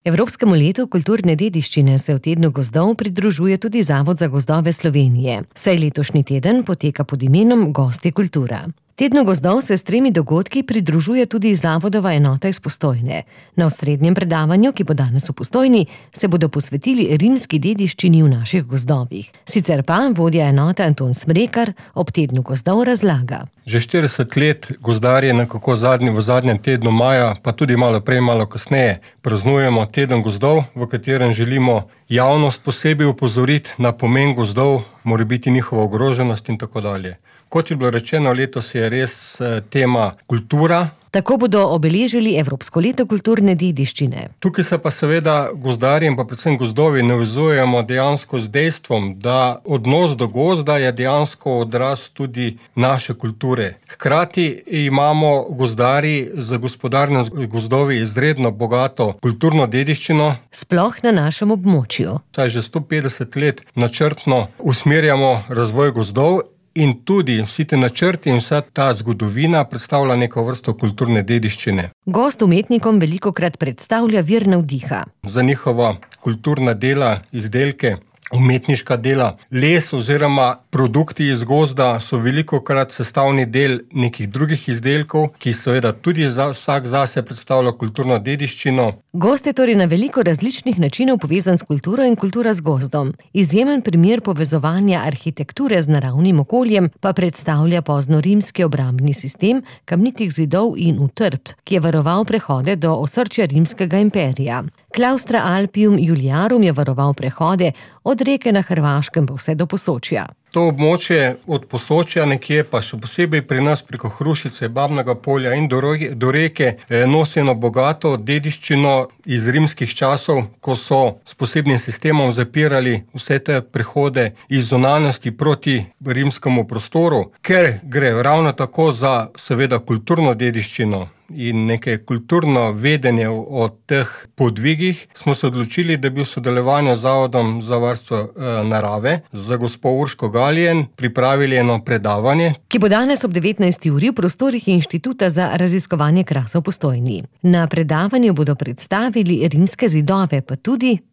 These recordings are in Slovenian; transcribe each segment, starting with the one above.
Evropskemu letu kulturne dediščine se v tednu gozdov pridružuje tudi Zavod za gozdove Slovenije, saj letošnji teden poteka pod imenom Gosti kultura. Tednu gozdov se s 3 dogodki pridružuje tudi Zavodova enota iz Postojne. Na osrednjem predavanju, ki bo danes v Postojni, se bodo posvetili rimski dediščini v naših gozdovih. Sicer pa vodja enote Anton Smrekar ob tednu gozdov razlaga. Že 40 let gozdarji nekako v zadnjem tednu maja, pa tudi malo prej, malo kasneje, praznujemo teden gozdov, v katerem želimo javnost posebej opozoriti na pomen gozdov, morebiti njihova ogroženost in tako dalje. Kot je bilo rečeno, letos je res tema kultura. Tako bodo obeležili Evropsko leto kulturne dediščine. Tukaj se pa seveda gozdarji in pa predvsem gozdovi navezujemo dejansko z dejstvom, da odnos do gozda je dejansko odraz tudi naše kulture. Hkrati imamo gozdarji z gospodarnimi gozdovi izredno bogato kulturno dediščino. Sploh na našem območju. Saj že 150 let načrtno usmerjamo razvoj gozdov. In tudi vsi te načrti in vsa ta zgodovina predstavlja neko vrsto kulturne dediščine. Gozd umetnikom velikokrat predstavlja vir navdiha. Za njihova kulturna dela, izdelke, umetniška dela, les oziroma produkti iz gozda so velikokrat sestavni del nekih drugih izdelkov, ki seveda tudi vsak zase predstavlja kulturno dediščino. Gozd je torej na veliko različnih načinov povezan s kulturo in kultura z gozdom. Izjemen primer povezovanja arhitekture z naravnim okoljem pa predstavlja poznorimski obrambni sistem kamnitih zidov in utrdb, ki je varoval prehode do osrčja rimskega imperija. Claustra Alpium Iuliarum je varoval prehode od reke na Hrvaškem pa vse do Posočja. To območje od Posočja nekje, pa še posebej pri nas preko Hrušice, Babnega polja in do reke, nosi eno bogato dediščino iz rimskih časov, ko so s posebnim sistemom zapirali vse te prehode iz zunanjosti proti rimskemu prostoru, ker gre ravno tako za seveda kulturno dediščino in neke kulturno vedenje o teh podvigih, smo se odločili, da bi v sodelovanju z Zavodom za varstvo narave, za gospo Urško Galjen, pripravili eno predavanje, ki bo danes ob 19. uri v prostorih Inštituta za raziskovanje krasa v Postojni. Na predavanju bodo predstavili rimske zidove,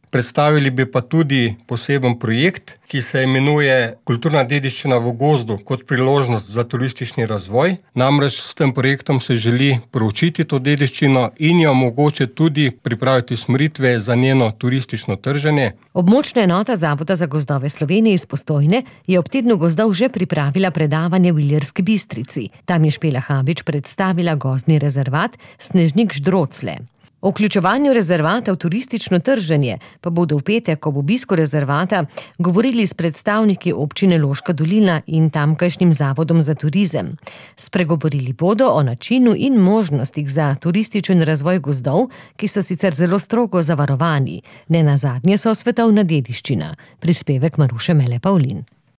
Predstavili bi pa tudi poseben projekt, ki se imenuje Kulturna dediščina v gozdu kot priložnost za turistični razvoj. Namreč s tem projektom se želi proučiti to dediščino in jo mogoče tudi pripraviti usmeritve za njeno turistično trženje. Območna enota Zavoda za gozdove Slovenije iz Postojne je ob tednu gozdov že pripravila predavanje v Ilirski Bistrici. Tam je Špela Habič predstavila gozdni rezervat Snežnik Ždrocle. O vključevanju rezervata v turistično trženje pa bodo v petek ob obisku rezervata govorili s predstavniki občine Loška dolina in tamkajšnjim Zavodom za turizem. Spregovorili bodo o načinu in možnostih za turističen razvoj gozdov, ki so sicer zelo strogo zavarovani. Nenazadnje so svetovna dediščina. Prispevek Maruše Mele Pavlin.